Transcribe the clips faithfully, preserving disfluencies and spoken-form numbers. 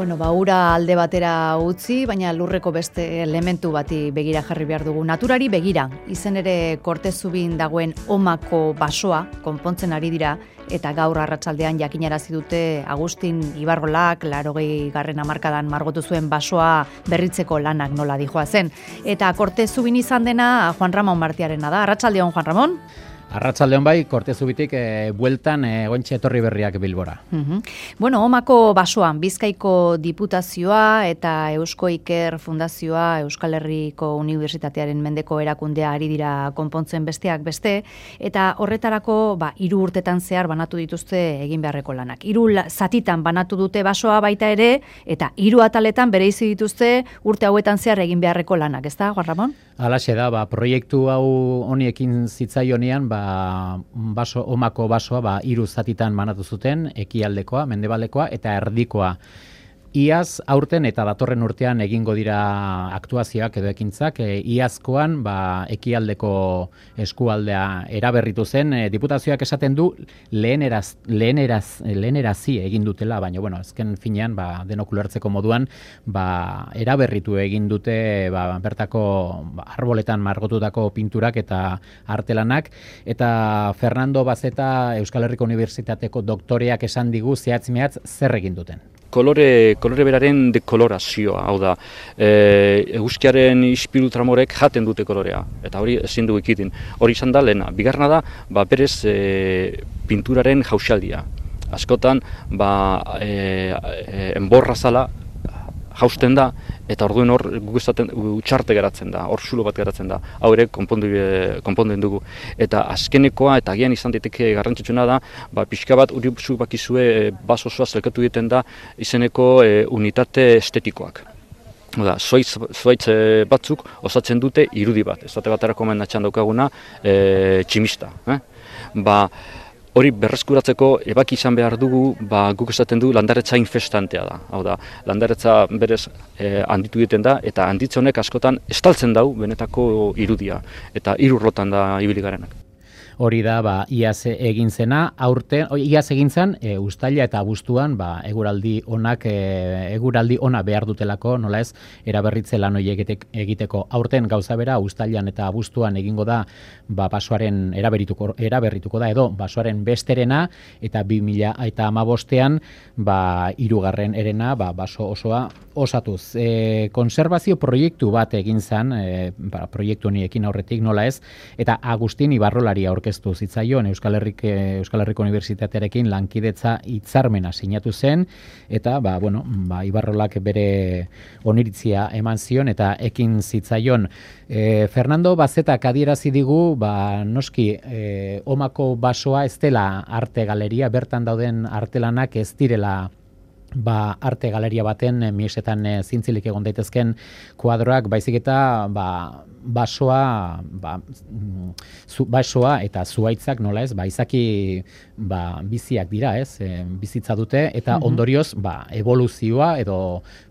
Bueno, ba, ura alde batera utzi, baina lurreko beste elementu bati begira jarri behar dugu. Naturari begira, izen ere Kortezubin dagoen Omako basoa konpontzen ari dira, eta gaur arratsaldean jakinarazi dute Agustin Ibarrolak laurogei garren hamarkadan margotu zuen basoa berritzeko lanak nola dijoa zen. Eta Kortezubin izan dena Juan Ramon Martiarena da. Arratsaldeon, Juan Ramon? Arratsaldeon bai, Kortezubitik e, bueltan e, gointxe etorri berriak Bilbora. Uh-huh. Bueno, Omako basoan Bizkaiko Diputazioa eta Eusko Iker Fundazioa Euskal Herriko Unibertsitatearen mendeko erakundea ari dira konpontzen besteak beste, eta horretarako ba, hiru urtetan zehar banatu dituzte egin beharreko lanak. Hiru zatitan banatu dute basoa baita ere, eta hiru ataletan bereizi dituzte urte hauetan zehar egin beharreko lanak, ezta, Juan Ramon? Halaxe da, ba, proiektu hau honiekin zitzaionean, ba, baso, Omako basoa ba, hiru zatitan banatu zuten, ekialdekoa, mendebaldekoa eta erdikoa. Iaz aurten eta datorren urtean egingo dira aktuazioak edo ekintzak, e, iazkoan ba, ekialdeko eskualdea eraberritu zen, e, diputazioak esaten du leheneraz, leheneraz, lehenerazi egin dutela, baina bueno, azken finean ba, denok ulertzeko moduan ba, eraberritu egin dute ba, bertako ba, arboletan margotutako pinturak eta artelanak, eta Fernando Bazeta Euskal Herriko Unibertsitateko doktoreak esan digu zehatz-mehatz zer egin duten. Kolore, kolore beraren dekolorazioa, hau da, e, eguzkiaren ispilu tramorek jaten dute kolorea, eta hori ezin du ikitin. Hori izan da lehena. Bigarrena da, ba, berez e, pinturaren jausaldia. Askotan, ba, e, e, enborra zala jausten da, eta orduen hor utxarte geratzen da, hor zulo bat geratzen da, hau ere konpondu, konponden dugu. Eta azkenekoa, eta agian izan daiteke garrantzitsuna da, ba, pixka bat uri zu bakizue baso osoa zelkatu egiten da izeneko e, unitate estetikoak. Oda, zoitz, zoitz batzuk osatzen dute irudi bat, ez dute baterako menatxan daukaguna e, tximista. Eh? Ba, Hori berreskuratzeko ebaki izan behar dugu, ba, guk esaten du landaretza infestantea da. Hau da, landaretza berez eh, handitu egiten da, eta handitze honek askotan estaltzen dau benetako irudia, eta hirurlotan da ibili garenak. Hori da, ba, iaz egin zena, aurten, iaz egin zen, e, uztaila eta abuztuan, ba, eguraldi onak, e, eguraldi ona behar dutelako, nola ez, eraberritze lan horiek egiteko. Aurten gauza bera, uztailan eta abuztuan egingo da, ba, basoaren eraberrituko, eraberrituko da, edo, basoaren besterena, eta bi mila eta hamabostean, ba, hirugarren erena, ba, baso osoa osatuz. E, konserbazio proiektu bat egin zen, e, ba, proiektu honiekin aurretik, nola ez, eta Agustin Ibarrolari aurkeztu zitzaion Euskal Herrik, Euskal Herriko Unibertsitatearekin lankidetza hitzarmena sinatu zen, eta ba, bueno, ba, Ibarrolak bere oniritzia eman zion eta ekin zitzaion. E, Fernando Bazetak adierazi digu, ba, noski e, Omako basoa ez dela arte galeria, bertan dauden artelanak ez direla ba, arte galeria baten miesetan e, zintzilik egon daitezken kuadroak, baizik eta ba, basoa, ba, zu, basoa eta zuhaitzak nola ez, ba, izaki ba, biziak dira ez, e, bizitza dute, eta ondorioz ba, evoluzioa edo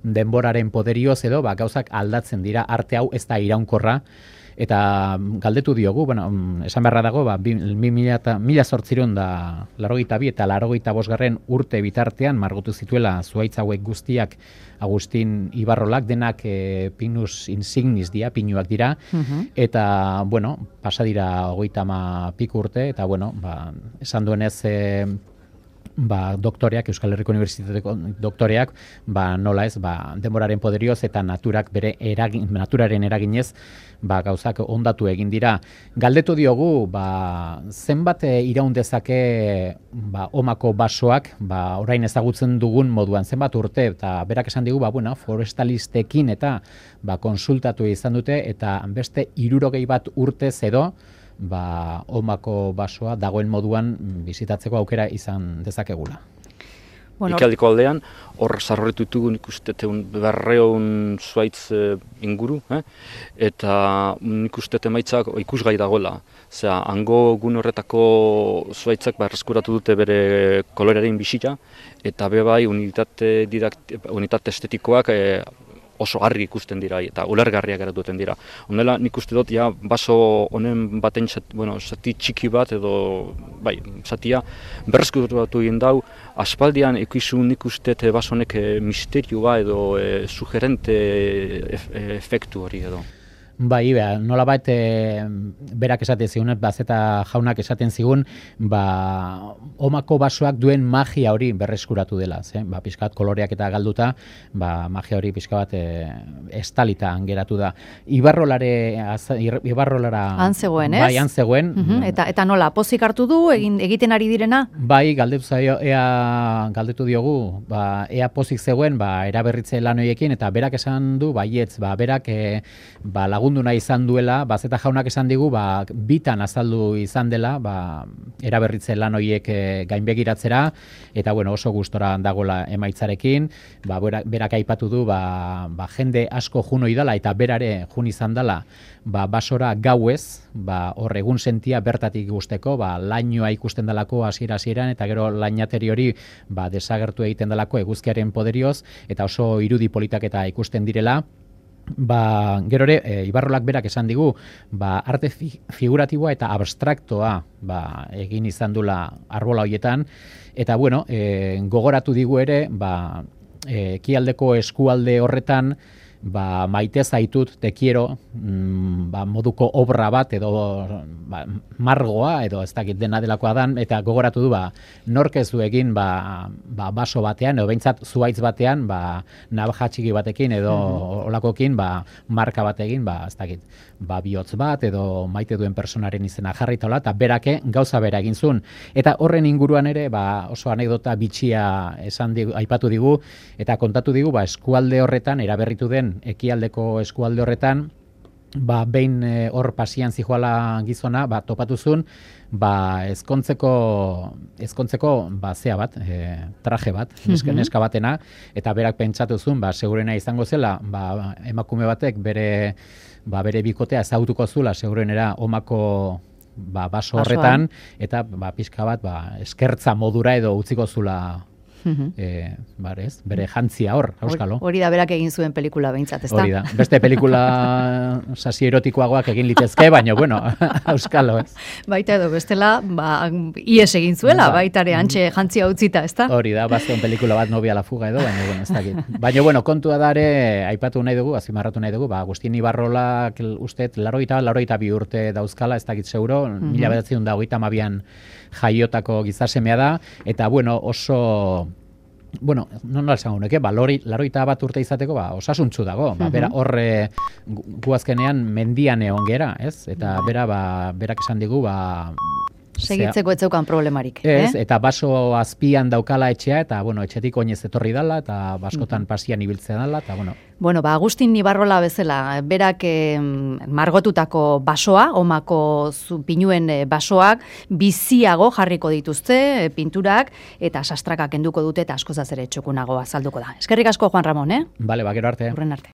denboraren poderioz edo ba, gauzak aldatzen dira, arte hau ez da iraunkorra. Eta galdetu diogu, bueno, esan beharra dago, ba, mila zortziehun da laurogeita bi eta laurogeita bosgarren urte bitartean margotu zituela zuhaitz hauek guztiak Agustin Ibarrolak, denak e, pinus insignis dira, pinuak dira, uh-huh. Eta, bueno, pasa dira hogeita ama piku urte, eta, bueno, ba, esan duenez, e, ba, doktoreak, Euskal Herriko Unibertsitateko doktoreak, ba, nola ez, ba, denboraren poderioz eta naturak bere eragin, naturaren eraginez, ba, gauzak ondatu egin dira. Galdetu diogu, ba, zenbat iraun dezake ba, Omako basoak, ba, orain ezagutzen dugun moduan, zenbat urte, eta berak esan digu, ba, bueno, forestalistekin eta ba, konsultatu izan dute, eta beste hirurogei bat urtez edo, ba, Omako basoa dagoen moduan bizitatzeko aukera izan dezakegula. Bueno. Ikaldeko aldean, hor zarroretu ditugu nik uste berreun zuaitz e, inguru, eh? Eta nik uste emaitzak ikusgai dagoela. Zera, hango gun horretako zuaitzak berreskuratu dute bere kolorearen bisita, eta bebai unitate, didakt, unitate estetikoak e, oso argi ikusten dira eta ulergarriak geratu dira. Honela nik uste dut ja baso honen baten zati, bueno, zati txiki bat edo bai, zatia berreskuratu egin dau aspaldian ikusun nik uste dut baso honek e, misterioa edo e, sugerente e, e, efektu hori edo. Bai, ba, nolabait e, berak esaten zigun, Bazeta jaunak esaten zigun, ba, omako basoak duen magia hori berreskuratu dela, ze? Ba, pixkat koloreak eta galduta, ba, magia hori pixka bat e, estalita geratu da. Ibarrolare, az, Ibarrolara... Han zegoen, ez? Bai, han zegoen. Uh-huh. eta, eta nola, pozik hartu du, egin, egiten ari direna? Bai, galdetu zaio, ea galdetu diogu, ba, ea pozik zegoen, ba, eraberritze lan horiekin, eta berak esan du, baietz, ba, berak e, ba, lagun nahi izan duela, Bazeta jaunak esan digu, ba, bitan azaldu izan dela, ba, eraberritze lan horiek e, gainbegiratzera, eta bueno, oso gustora dagoela emaitzarekin, ba, berak, berak aipatu du, ba, ba, jende asko jun oidala, eta berare jun izan dela, ba, basora gauez, ba, hor egun sentia bertatik gusteko, ba, lainoa ikusten dalako hasiera hasieran eta gero lainateri hori ba, desagertu egiten dalako eguzkiaren poderioz, eta oso irudi politak eta ikusten direla. Ba, gero ere, e, Ibarrolak berak esan digu, ba, arte fi, figuratiboa eta abstraktoa ba, egin izan dula arbola horietan, eta bueno, e, gogoratu digu ere, ba, e, ekialdeko eskualde horretan, ba, maite zaitut, te quiero, mm, ba, moduko obra bat, edo ba, margoa, edo ez dakit dena delakoa dan, eta gogoratu du, ba, nork ez du egin, ba, ba, baso batean, edo behintzat zuaitz batean, ba, navaja txiki batekin, edo mm-hmm. olakokin, ba, marka batekin, ba, ez dakit, ba, bihotz bat, edo maite duen personaren izena jarritola, eta berake gauza bera egin zuen. Eta horren inguruan ere, ba, oso anekdota bitxia esan digu, aipatu digu, eta kontatu digu, ba, eskualde horretan, eraberritu den ekialdeko eskualde horretan, ba, behin e, hor pasian zijoala gizona, ba, topatuzun, ba, ezkontzeko, ezkontzeko, ba, zea bat, e, traje bat, neska, Mhm. neska batena, eta berak pentsatuzun, ba, segurena izango zela, ba, emakume batek bere, ba, bere bikotea ezagutuko zula, segurenera omako ba, baso horretan, eta ba, pixka bat, ba, eskertza modura edo utziko zula Mhm. E, barez, bere jantzia hor, auskalo. Hori da berak egin zuen pelikula behintzat, ezta? Hori da. Beste pelikula sasi erotikoagoak egin litezke, baina bueno, auskalo, ez? Baita edo bestela, ba, ies egin zuela, Ba. baita ere antxe jantzia utzita, ezta? Hori da, bazten pelikula bat Novia la fuga edo, baina bueno, ez dakit. Baina bueno, kontua da ere, aipatu nahi dugu, azpimarratu nahi dugu, ba, Agustin Ibarrolak ustet, laroita, laroita bi urte dauzkala, ez dakit zeuro, Mhm. mila bederatziehun eta hogeita hamabian jaiotako gizasemea da, eta bueno, oso... Bueno, no nola esango nuke, ba, lori, laroita bat urte izateko, ba, osasuntzu dago. Ba, bera, horre, gu gu azkenean mendian egon gera, ez? Eta bera, ba, berak esan digu, ba... Segitzeko ez zeukan problemarik. Ez, eh? eta baso azpian daukala etxea, eta, bueno, etxetik oinez etorri dala, eta baskotan pasian ibiltzea dala, eta, bueno... Bueno, ba, Agustin Ibarrola bezala, berak eh, margotutako basoa, omako zu, pinuen eh, basoak, biziago jarriko dituzte, eh, pinturak, eta sastraka kenduko dute, eta askozaz ere txokunago azalduko da. Eskerrik asko, Juan Ramon, eh? Bale, ba, gero arte. Urren arte.